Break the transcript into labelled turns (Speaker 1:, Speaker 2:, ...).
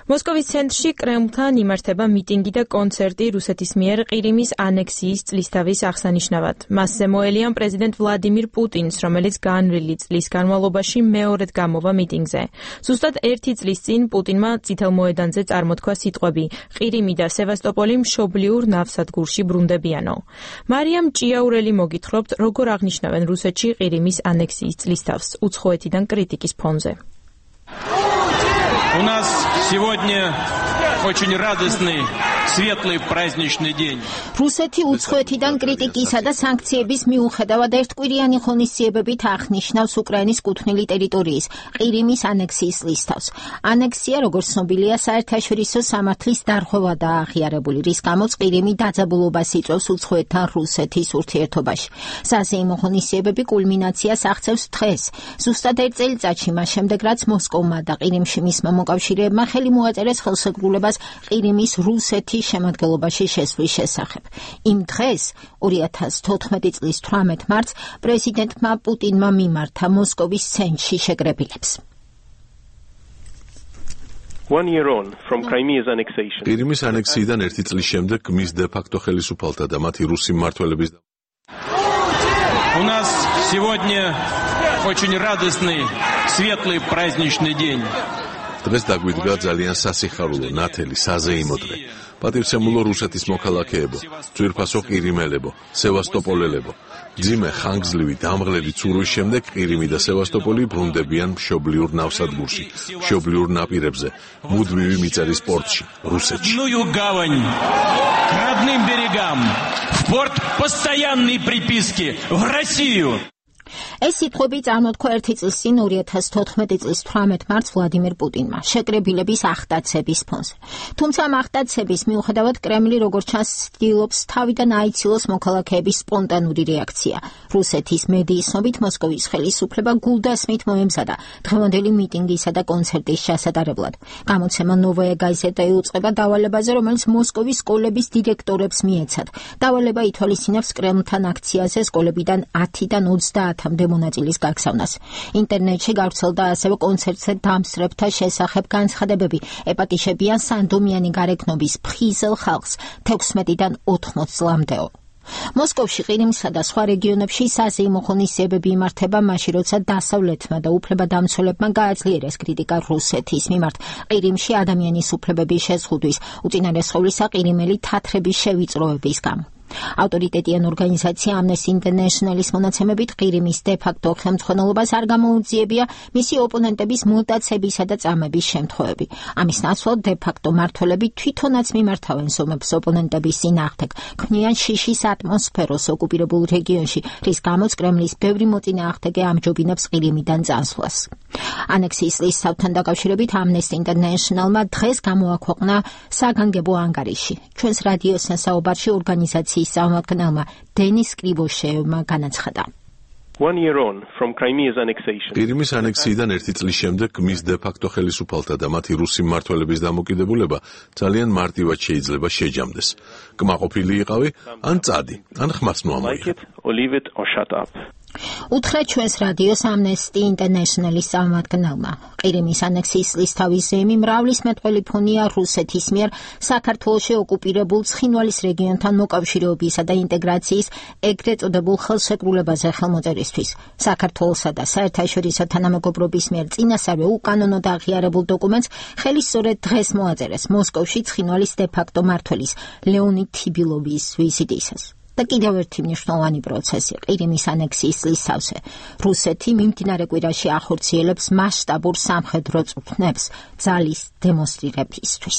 Speaker 1: მოსკოვის ცენტრში კრემლთან იმართება მიტინგი და კონცერტი რუსეთის მიერ ყირიმის ანექსიის წლისთავის აღსანიშნავად. მასზე მოელიან პრეზიდენტ ვლადიმირ პუტინს, რომელიც განვლილი წლის განმავლობაში მეორედ გამოვა მიტინგზე. ზუსტად 1 წლის წინ პუტინმა წითელ მოედანზე წარმოთქვა სიტყვები ყირიმი და სევასტოპოლი მშობლიურ ნავსადგურში ბრუნდებიანო. მარიამ ჭიაურელი მოგითხრობთ, როგორ აღნიშნავენ რუსეთში ყირიმის ანექსიის წლისთავს უცხოეთიდან კრიტიკის ფონზე.
Speaker 2: У нас сегодня очень радостный, светлый праздничный день.
Speaker 3: რუსეთი უცხოეთიდან კრიტიკისა და სანქციების მიუხედავად ერთკვირიანი ღონისძიებებით აღნიშნავს უკრაინის კუთვნილი ტერიტორიის ყირიმის ანექსიის ლისტავს. ანექსია, როგორც ცნობილია, საერთაშორისო სამართლის დარღვევა და აღიარებული, რის გამოც ყირიმი დაძაბულობას იწვევს უცხოეთთან რუსეთის ურთიერთობაში. საზეიმო ღონისძიებები კულმინაციას აღწევს დღეს, ზუსტად 1 წელიწადში მას შემდეგ, რაც მოსკოვმა და ყირიმში მისმა მოკავშირეებმა ხელი მოაწერეს ხელშეკრულებას ყირიმის რუსეთის შემადგენლობაში შესვლის შესახებ. იმ დღეს, 2014 წლის 18 მარტს, პრეზიდენტმა პუტინმა მიმართა მოსკოვის ცენტრში შეკრებილებს.
Speaker 4: ყირიმის ანექსიიდან 1 წლის შემდეგ მის დე-ფაქტო ხელისუფალთა და მათი რუსი მმართველების
Speaker 2: У нас сегодня очень радостный, светлый праздничный день.
Speaker 4: დღეს დაგვიდგა ძალიან სასიხარულო, ნათელი, საზეიმო დღე. პატივცემულო რუსეთის მოქალაქეებო, ძვირფასო ყირიმელებო, სევასტოპოლელებო. ძიმე ხანგრძლივი დამღლელი ცურვის შემდეგ ყირიმი და სევასტოპოლი ბრუნდებიან მშობლიურ ნავსადგურში, მშობლიურ ნაპირებზე, მუდმივი მიწერის პორტში, რუსეთში.
Speaker 2: К родным берегам, в порт постоянной приписки, в Россию.
Speaker 3: ეს სიტყვები წარმოთქვა 1 წლის წინ 2014 წლის 18 მარტს ვლადიმირ პუტინმა შეკრებილების ახდაცების ფონზე. თუმცა ამ ახდაცების მიუხედავად კრემლი როგორც ჩანს ცდილობს თავიდან აიცილოს მოქალაქეების სპონტანური რეაქცია. რუსეთის მედიის ცნობით მოსკოვის ხელისუფლება გულდასმით მოემზადა დღევანდელი მიტინგისა და კონცერტის ჩასატარებლად. გამოცემა ნოვაია გაზეტა იუწყება დავალებაზე, რომელიც მოსკოვის სკოლების დირექტორებს მიეცათ. დავალება ითვალისწინებს კრემლთან აქციაზე სკოლებიდან 10-დან 30-მდე მონაწილის გაგზავნას. ინტერნეტში გავრცელდა ასევე კონცერტზე დამსწრებთა შესახებ განცხადებები, ეპატიშებიან სანდომიანი გარეგნობის ფხიზელ ხალხს 16-დან 80 წლამდეო. მოსკოვში ყირიმსა და სხვა რეგიონებში საზეიმო ღონისძიებები იმართება მაშინ, როცა დასავლეთმა და უფლებადამცველებმა გააძლიერეს კრიტიკა რუსეთის მიმართ ყირიმში ადამიანის უფლებების შეზღუდვის, უწინარესხოვლისა ყირიმელი თათრების შევიწროების გამო. ავტორიტეტიან ორგანიზაცია Amnesty International-ის მონაცემებით ყირიმის დე-ფაქტო ხელმძღვანელობას არ გამოუძიებია მისი ოპონენტების მუტაცებისა და წამების შემთხვევები. ამის ნაცვლად დე-ფაქტო მმართველები თვითონაც მიმართავენ ზომებს ოპონენტების წინააღმდეგ, ქმნიან შიშის ატმოსფეროს ოკუპირებულ რეგიონში, რის გამოც კრემლის ბევრი მოწინააღმდეგე ამჯობინებს ყირიმიდან წასვლას. ანექსიის ლისტავთან დაკავშირებით Amnesty International-მა დღეს გამოაქვეყნა საგანგებო ანგარიში. ჩვენს რადიოსთან საუბარში ორგანიზაციის სამართალმა დენის კრივოშევმა განაცხადა.
Speaker 4: ყირიმის ანექსიიდან 1 წლის შემდეგ მის დე-ფაქტო ხელისუფალთა და მათი რუსი მმართველების დამოკიდებულება ძალიან მარტივად შეიძლება შეჯამდეს. კმაყოფილი იყავი, ან წადი, ან ხმას მოამოიღე.
Speaker 3: უთხრა ჩვენს რადიოს Amnesty International-ის სამართალმა. ყირიმის ანექსიის ლისტავის ზემი მრავლის მეტყველი ფონია რუსეთის მიერ საქართველოში ოკუპირებულ ცხინვალის რეგიონთან მოკავშირეობისა და ინტეგრაციის ეგრეთ წოდებულ ხელშეკრულებაზე ხელმოწერისთვის. საქართველოსა და საერთაშორისო თანამეგობრობის მიერ წინასწარვე უკანონოდ აღიარებულ დოკუმენტს ხელი სწორედ დღეს მოაწერეს მოსკოვში ცხინვალის დე-ფაქტო მმართველის ლეონიდ თიბილოვის ვიზიტისას. და კიდევ ერთი მნიშვნელოვანი პროცესი ყირიმის ანექსიის ლისტავზე. რუსეთი მიმდინარე კვირაში ახორციელებს მასშტაბურ სამხედრო წვრთნებს ძალის დემონსტრირებისთვის.